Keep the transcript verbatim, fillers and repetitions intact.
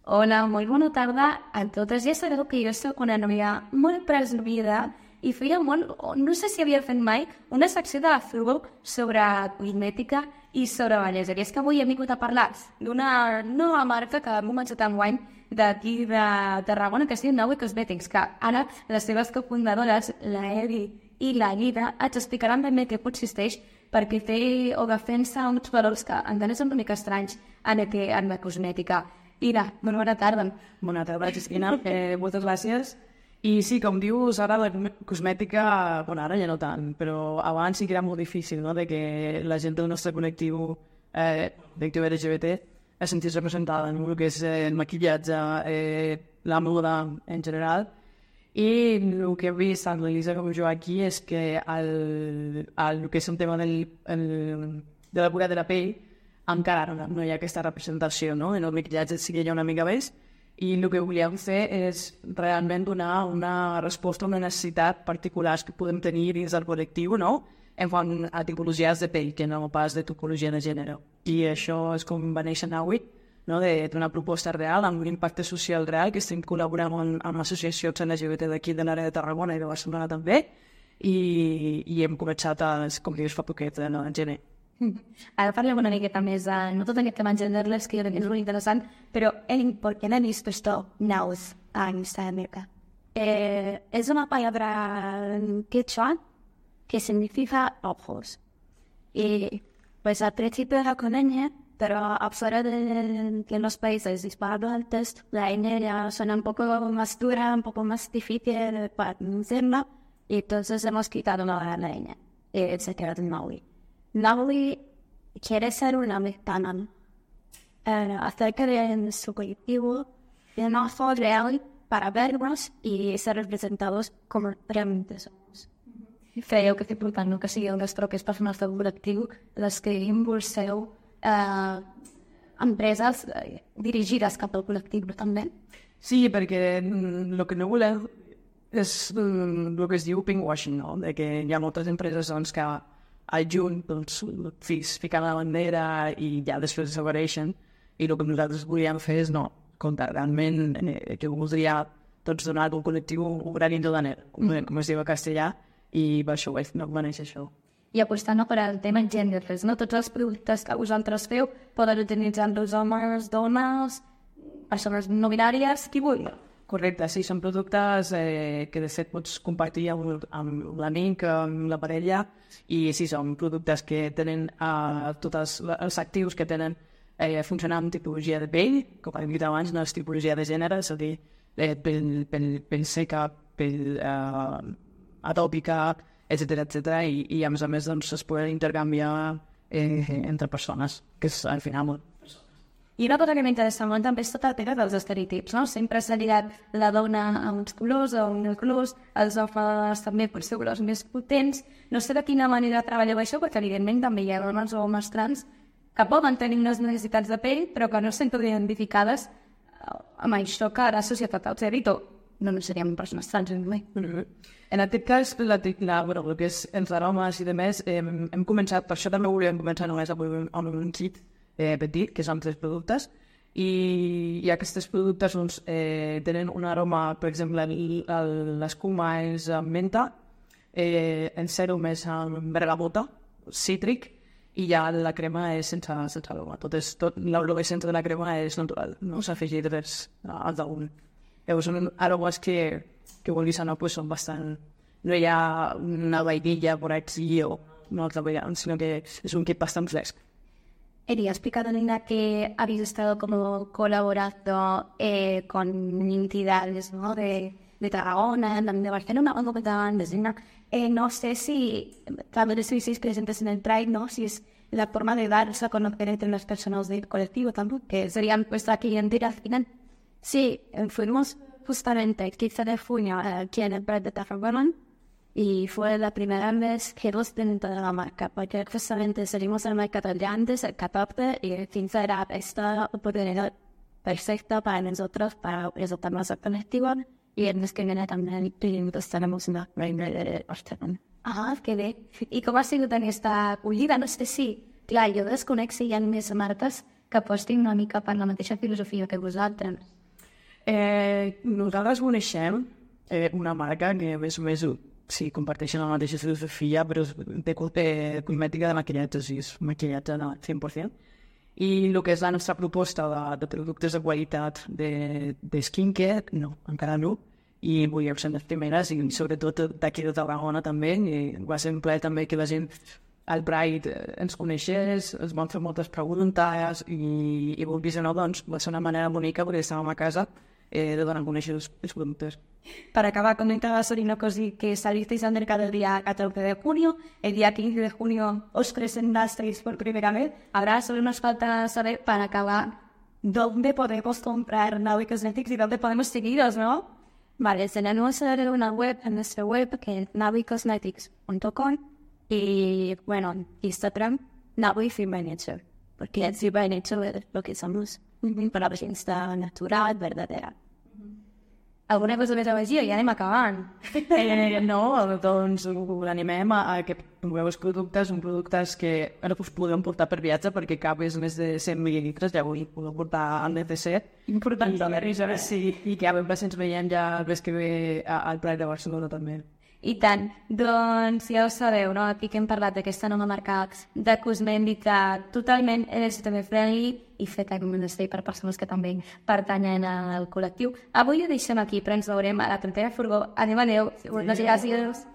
Hola, molt bona tarda a totes. Ja sabeu que jo soc una noia molt presumida i feia molt, no sé si havia fet mai, una secció de Facebook sobre cosmètica i sobre bellesa. I és que avui he vingut a parlar d'una nova marca que ha començat enguany d'aquí de Tarragona, que es diu Naui Cosmetics, que ara les seves cofundadores, la Evi i la Guida, ens explicaran ben bé què consisteix perquè té o defensa uns valors que encara són una mica estranys en, aquest, en la cosmètica. Ira, molt bona tarda. Bona tarda, Cristina. Eh, moltes gràcies. I sí, com dius, ara la cosmètica, bueno, ara ja no tant, però abans sí que era molt difícil, no?, de que la gent del nostre col·lectiu, eh, col·lectiu L G B T, es sentís representada en el que és eh, el maquillatge, eh, la moda en general. I el que he vist tant l'Elisa com jo aquí és que el, el, el que és un tema del, el, de la cura de la pell encara no, no hi ha aquesta representació, no? En el maquillatge sí que hi ha una mica més, i el que volíem fer és realment donar una resposta a una necessitat particular que podem tenir dins del col·lectiu, no?, en quant a tipologies de pell, que no pas de tipologia de gènere. I això és com va néixer Naui, no?, d'una proposta real, amb un impacte social real, que estem col·laborant amb, amb associacions L G B T d'aquí de l'àrea de Tarragona i de Barcelona també, i, i hem començat, a, com dius, fa poquet, no, en gener. Ara parlem una miqueta més de, no tot aquest tema genderless, que jo crec que és molt interessant, però en por qué no he visto esto naus en esta marca. Eh, es una palabra en quechua que significa ojos. Y pues al principio era con ñ, pero afuera de, de los países hispanohablantes, la ñ ya suena un poco más dura, un poco más difícil para pronunciarla, y entonces hemos quitado la, la ñ, y se queda en Naui. Naui quiere ser una mexicana eh, acerca de su colectivo, de una forma real para vernos y ser representados como realmente somos. Creo que és important, no?, que siguin les propies persones del col·lectiu les que impulseu eh, empreses eh, dirigides cap al col·lectiu, també. Sí, perquè el que no volem és el que es diu pinkwashing, no?, de que hi ha moltes empreses doncs, que al juny doncs, fiquen la bandera i ja després desapareixen, i el que nosaltres volíem fer és no, comptar realment eh, que voldria doncs, donar al col·lectiu un granito de ner, com, com es diu a castellà, i per això no va néixer això. I apostant no, per al tema genderless, no? Tots els productes que vosaltres feu poden utilitzar-los homes, dones, persones no binàries, qui vulgui. Correcte, sí, són productes eh, que de fet pots compartir amb, amb l'amic, amb la parella, i sí, són productes que tenen eh, tots els actius que tenen eh, funcionar amb tipologia de pell, com hem dit abans, no és tipologia de gènere, és a dir, eh, pell, pell, pell seca, pell eh, atòpica, etcètera, etcètera, i, i a més a més doncs, es poden intercanviar eh, entre persones, que és al final molt. I una cosa que m'interessa molt també és tot el tema dels estereotips, no? Sempre s'ha lligat la dona a uns colors, a uns colors, els homes també per ser colors més potents. No sé de quina manera treballeu això, perquè evidentment també hi ha dones o homes trans que poden tenir unes necessitats de pell, però que no s'han identificades amb això que la societat els ha dit, o no, no seríem persones trans, no? En aquest cas, la, la, bueno, el que és els aromes i demés, eh, hem començat, per això també volíem començar només amb un, amb un kit eh, petit, que són tres productes, i, i aquests productes doncs, eh, tenen un aroma, per exemple, l'escuma és amb menta, eh, en sèrum és amb bergamota, cítric, i ja la crema és sense, sense aroma. Tot és, tot, l'olor-essència de la crema és natural, no s'ha afegit res al damunt. Llavors, són aromes que, que vulguis o no, pues, són bastant... No hi ha una vainilla por aquí o una altra variant, sinó que és un kit bastant fresc. Eri, has explicado, Nina, que habéis estado como colaborando eh, con entidades, ¿no?, de, de Tarragona, de Barcelona, o de Zina. Eh, no sé si también estuvisteis presentes en el Pride, ¿no?, si es la forma de darse a conocer entre las personas del colectivo también, que serían vuestra clientela al final. Sí, fuimos justamente el quince de junio aquí en el Pride de Tarragona, y fue la primera vez que los dentro de la marca, porque justamente salimos al mercado de antes, el catorce, y el quince era esta oportunidad perfecta para nosotros, para presentar nuestra colectiva, y en los que viene también tenemos una reina de Barcelona. Ah, qué bien. ¿Y cómo ha sido tan esta acogida? No sé si, claro, yo desconec si hi ha més marques que apostin una mica per la mateixa filosofia que vosaltres? Eh, nosaltres coneixem eh, una marca que més o més sí, comparteixen la mateixa filosofia, però és de eh, cosmètica de maquillatge, o sigui, és maquillatge de cent per cent. I el que és la nostra proposta de, de productes de qualitat de, de skincare, no, encara no. I volíem ser les primeres, i sobretot d'aquí de Tarragona també. I va ser un plaer també que la gent al Pride ens coneixés, ens van fer moltes preguntes i, i vulguis o no, doncs va ser una manera bonica perquè estàvem a casa eh, de donar a conèixer els, els productes. Para acabar, comentaba Sorina Cosi que salisteis al mercado el día catorce de junio, el día quince de junio os presentasteis por primera vez. Ahora solo nos falta saber, para acabar, dónde podemos comprar Naui Cosmetics y dónde podemos seguiros, ¿no? Vale, tenemos una web, en nuestra web, que es naui cosmetics punto com, y, bueno, Instagram, Naui Free by Nature, porque Free by Nature es lo que somos, una presencia natural, verdadera. Alguna cosa més a afegir? Ja anem acabant. Eh, no, doncs animem a, a que proveu els productes, són productes que ara us podem portar per viatge perquè cap és més de cent mil·lilitres, ja ho podeu portar al N C C. Important saber. Sí, i que a veure si ens veiem ja el mes que ve al Pride de Barcelona també. I tant. Doncs ja ho sabeu, no? Aquí que hem parlat d'aquesta nova marca de cosmètica totalment L G T B friendly i feta com un espai per persones que també pertanyen al col·lectiu. Avui ho deixem aquí, però ens veurem a la propera furgó. Adéu, adéu. Moltes gràcies.